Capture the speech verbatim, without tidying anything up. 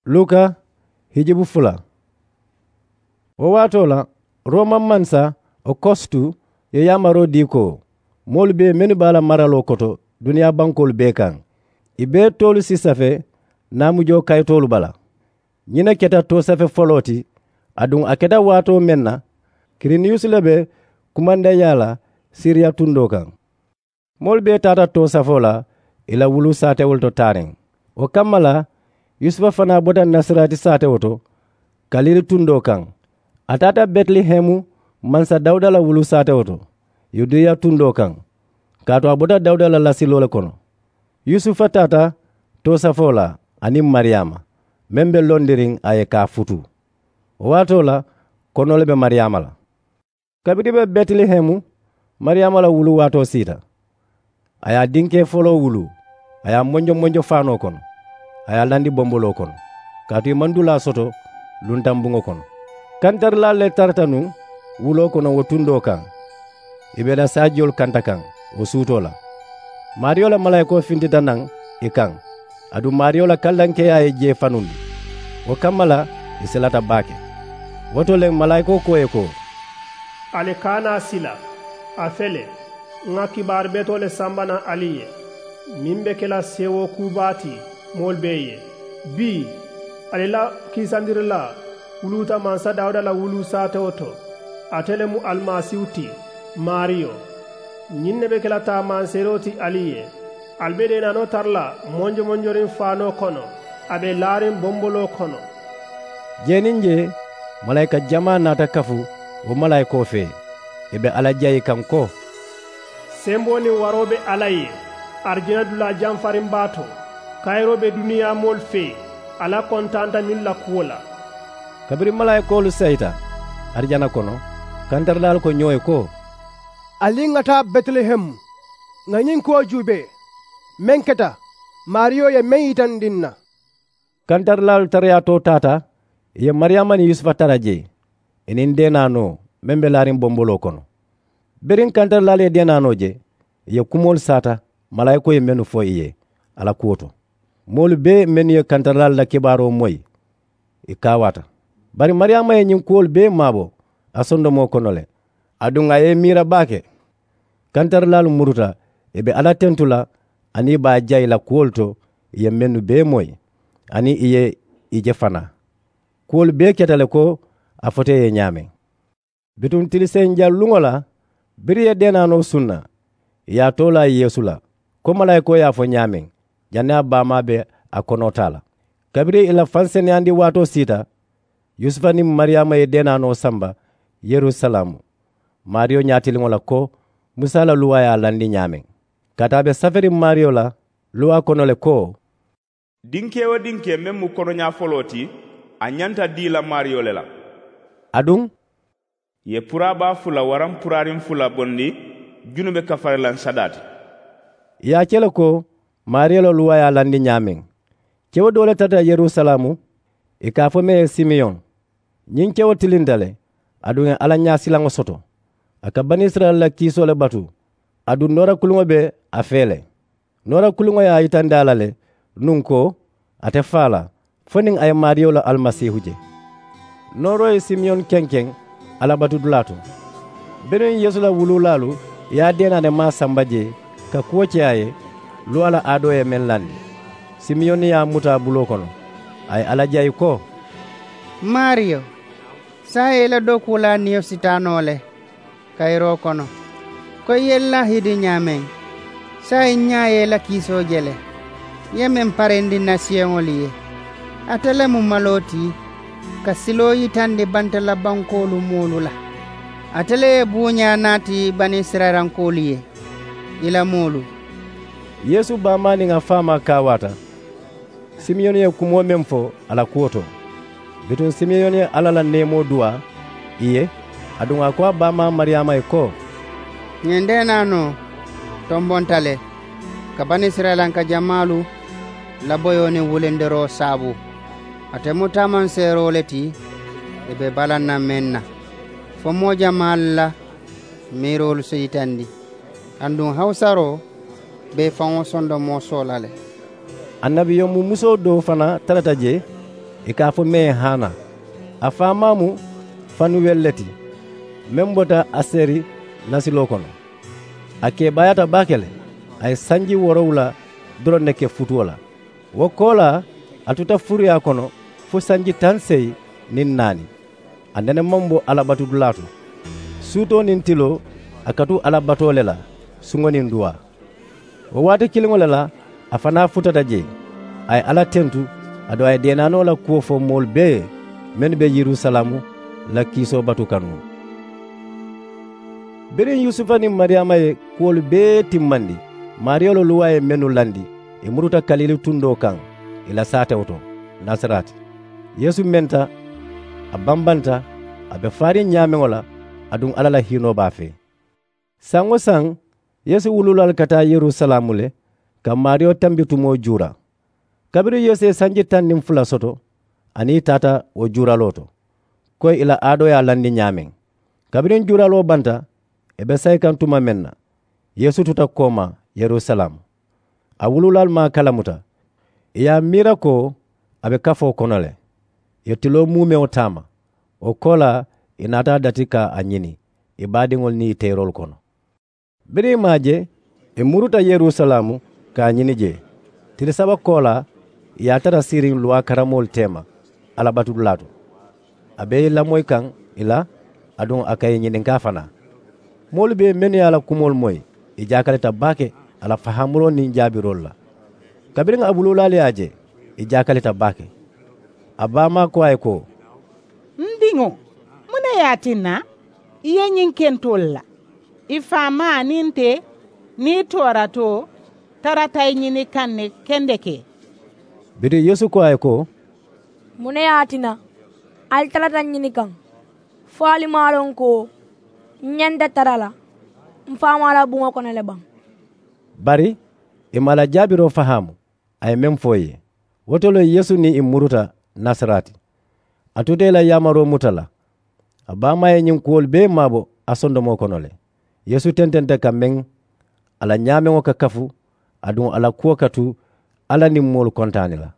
Luka hijibu fula. Wo waatoo la, roma mansa okostu ye yaamaroo dii ko, moolu bee mennu be a la maraloo koto duniyaa bankoolu bee kaŋ, ì bee toolu si safe naamujoo kayitoolu bala. Ñiŋ ne keta toosafe foloo ti. Aduŋ a keta waatoo meŋ na, kiriniyusi le be kumandayaa la siriya tundoo kaŋ. Moolu bee taata toosafoo la ì la wuluu saatewolu to taariŋ. Wo kamma la, yusufa fanaa bota nasarati saatewo to, kalili tundoo kaŋ. A taata betilehemu mansa dawuda la wuluu saatewo to, yudeya tundoo kaŋ, kaatu a bota dawuda la lasiloo le kono. Yusufa taata toosafoo la aniŋ mariyaama, meŋ be londiriŋ a ye ka a futu. Wo waatoo la, konoo le be mariyaama la. Kabiriŋ i be betilehemu, mariyaama la wuluu waatoo siita. A ye a dinkee foloo wuluu, a ye a monjo monjo faanoo kono, a ye a landi bomboloo kono, kaatu ì maŋ dulaa soto luntaŋ buŋo kono. Kantarilaalu le tarata nuŋ wuloo kono wo tundoo kaŋ. Ì be i la saajiyolu kanta kaŋ wo suutoo la. Maariyo la malaayikoo fintita naŋ ì kaŋ, aduŋ maariyo la kallankeeyaa ye jee fanundi. Wo kamma la, ì silata baake. Wo to le malaayikoo ko ì ye ko, ali kana a sila. A fele, ŋà kibaaru betoo le samba naŋ ali ye, meŋ be ke la seewoo kuu baa ti moolu bee ye. Bii, ali la kiisandirilaa wuluuta mansa dawuda la wuluu saatewo to. Ate le mu alimasiihu ti, maariyo. Ñiŋ ne be ke la taamanseeroo ti ali ye. Ali be deenaanoo tara la monjomonjoriŋ faanoo kono, a be laariŋ bomboloo kono. Jee niŋ jee malaayika jamaa naata kafu wo malaayikoo fee, ì be alla jayi kaŋ ko, semboo niŋ waroo be alla ye, arijana dulaa jamfariŋ baa to. Kayiroo be duniyaa moolu fee, alla kontaanta ñiŋ la kuwo la. Kabiriŋ malaayikoolu sayita arijana kono, kantarilaalu ko ñoo ye ko, ali ŋà taa betilehemu, ŋà ñiŋ kuwo juubee meŋ keta maariyo ye meŋ yitandi n na. Kantarilaalu tarayaatoo taata, ì ye mariyaama niŋ yusufa tara jee, ì niŋ deenaanoo meŋ be laariŋ bomboloo kono. Biriŋ kantarilaalu ye deenaanoo je, ì ye kumoolu saata malaayikoo ye mennu fo ì ye a la kuwo to. Moolu bee mennu ye kantarilaalu la kibaaroo moyi, ì kaawaata. Bari mariyaama ye ñiŋ kuwolu bee maabo a sondomoo kono le, aduŋ a ye i miira baake. Kantarilaalu muruta ì be alla tentu la aniŋ ì be a jayi la kuwolu to, ì ye mennu bee moyi aniŋ ì ye ì je fanaa. Kuwolu bee keta le ko a fota ì ye ñaameŋ. Bituŋ tiliseyiŋ jaŋ luŋo la, biriŋ ì ye deenaanoo sunna, ì ye a too laa yeesu la, ko malaayikoo ye a fo ñaameŋ, janniŋ a baamaa be a konoo taa la. Kabiriŋ ì la faŋ seneyandi waatoo siita, yusufa niŋ mariyaama ye deenaanoo samba yerusalaamu, maariyo ñaatiliŋo la ko musa la luwaa ye a landi ñaameŋ. Kaatu a be saferiŋ maariyo la luwaa kono le ko, dinkee-wo-dinkee meŋ mu konoñaa foloo ti, a ñanta dii la maariyo le la. Aduŋ, ì ye puraabaa fula waraŋ puraariŋ fula bondi junube kafarilaŋ sadaa ti. Ì ye a ke le ko maariyo la luwaa ye a landi ñaameŋ. Kewo doo le tarata yerusalaamu, ì ka a fo meŋ ye simeyoŋ. Ñiŋ kewo tilinta le, aduŋ ì ye alla ñaasilaŋo soto. A ka banisirayila la kiisoo le batu. Aduŋ noora kuluŋo be a fee le. Noora kuluŋo ye a yitandi a la le nuŋ ko a te faa la fo niŋ a ye maariyo la alimasiihu je. Nooroo ye simeyoŋ kenkeŋ alabatudulaa to. Biriŋ yeesu la wuluulaalu ye a deenaanimaa samba jee ka kuwo ke a ye, luwaa la aadoo ye meŋ landi, simeyoŋ ye a muta a buloo kono, a ye alla jayi ko, maariyo, saayiŋ i la dookuulaa niyo si taa noo le kayiroo kono, ko i ye n laahidi ñaameŋ. Saayiŋ ñaa ye i la kiisoo je le, i ye meŋ parendi n na siyeŋolu ye. Ate le mu maloo ti ka siloo yitandi banta la bankoolu moolu la. Ate le ye buuñaa naati banisirayilankoolu ye, i la moolu. Yeesu baamaa niŋ a faamaa kaawaata. Simiyoni ye kumoo meŋ fo a la kuwo to, bituŋ simiyoni ye alla la neemoo duwaa ì ye, aduŋ a ko a baamaa mariyaama ye ko, ñiŋ deenaanoo tombonta le ka banisirayilanka jamaalu la boyoo niŋ wulindiroo saabu. Ate mu taamanseeroo le ti ì be balaŋ na meŋ na, fo moo jamaalu la miiroolu si yitandi. Aduŋ hawusaroo be i faŋo sondomoo soola le. Annabi yonmu musoo doo fanaa tarata jee, Ì ka a fo meŋ ye haana. A faamaa mu fanuweli le ti, meŋ bota aseri nasiloo kono. A keebaayaata baake le. A ye sanji woorowula doroŋ ne ke futuo la. Wo koolaa, a tuta furuyaa kono fo sanji taŋ seyi niŋ naani. A nene maŋ bo alla batudulaa to. Suutoo niŋ tiloo, a ka tu alla batoo le la suŋo niŋ duwaa. Wo waati kiliŋo le la, a fanaa futata jee. A ye alla tentu, aduŋ a ye deenaanoo la kuwo fo moolu bee ye, mennu be yerusalaamu la kiisoo batu kanuŋo. Biriŋ yusufa niŋ mariyaama ye kuwolu bee timmandi, maariyo la luwaa ye mennu landi, ì muruta kaliili tundoo kaŋ, ì la saatewo to, nasarati. Yeesu menta, a bambanta, a be faariŋ ñaameŋo la, aduŋ alla la hiinoo be a fee. Saŋ-wo-saŋ, yeesu wuluulaalu ka taa yerusalaamu le, ka maariyo tambi tumoo juura. Kabiriŋ yeesu ye sanji taŋ niŋ fula soto, a niŋ ì taata wo juuraloo to, ko ì la aadoo ye a landi ñaameŋ. Kabiriŋ juuraloo banta, ì be sayi kaŋ tuma meŋ na, yeesu tuta koomaa yerusalaamu. A wuluulaalu maŋ a kalamuta. Ì ye a miira ko a be kafoo kono le. Ì ye tiloo muumeŋo taama. Wo koolaa, ì naata a dati ka a ñini ì baadiŋolu niŋ ì teeroolu kono. Biriŋ ì maŋ a je, ì muruta yerusalaamu ka a ñini jee. Tili saba koolaa, ì ye a tara siiriŋ luwaa karammoolu teema alla batudulaa to. A be ì lamoyi kaŋ ì la, aduŋ a ka ì ñininkaa fanaa. Moolu bee mennu ye a la kumoolu moyi, ì jaakalita baake a la fahaamuloo niŋ jaabiroolu la. Kabiriŋ a wuluulaalu ye a je, ì jaakalita baake. A baamaa ko a ye ko, n diŋo, muŋ ne ye a tinna i ye ñiŋ ke n toolu la? I faamaa niŋ nte niŋ i tooratoo tarata i ñini kaŋ ne kendeke. Bituŋ yeesu ko a ye ko, muŋ ne ye a tinna ali tarata n ñini kaŋ? Fo ali maŋ a loŋ ko n ñanta tara la m faamaa la buŋo kono le baŋ? Bari ì maŋ a la jaabiroo fahaamu. A ye meŋ fo ì ye, wo to le yeesu niŋ ì muruta nasarati. A tuta ì la yaamaroo muta la. A baamaa ye ñiŋ kuwolu bee maabo a sondomoo kono le. Yeesu tententa ka meŋ a la ñaameŋo ka kafu, aduŋ a la kuwo ka tu alla niŋ moolu kontaani la.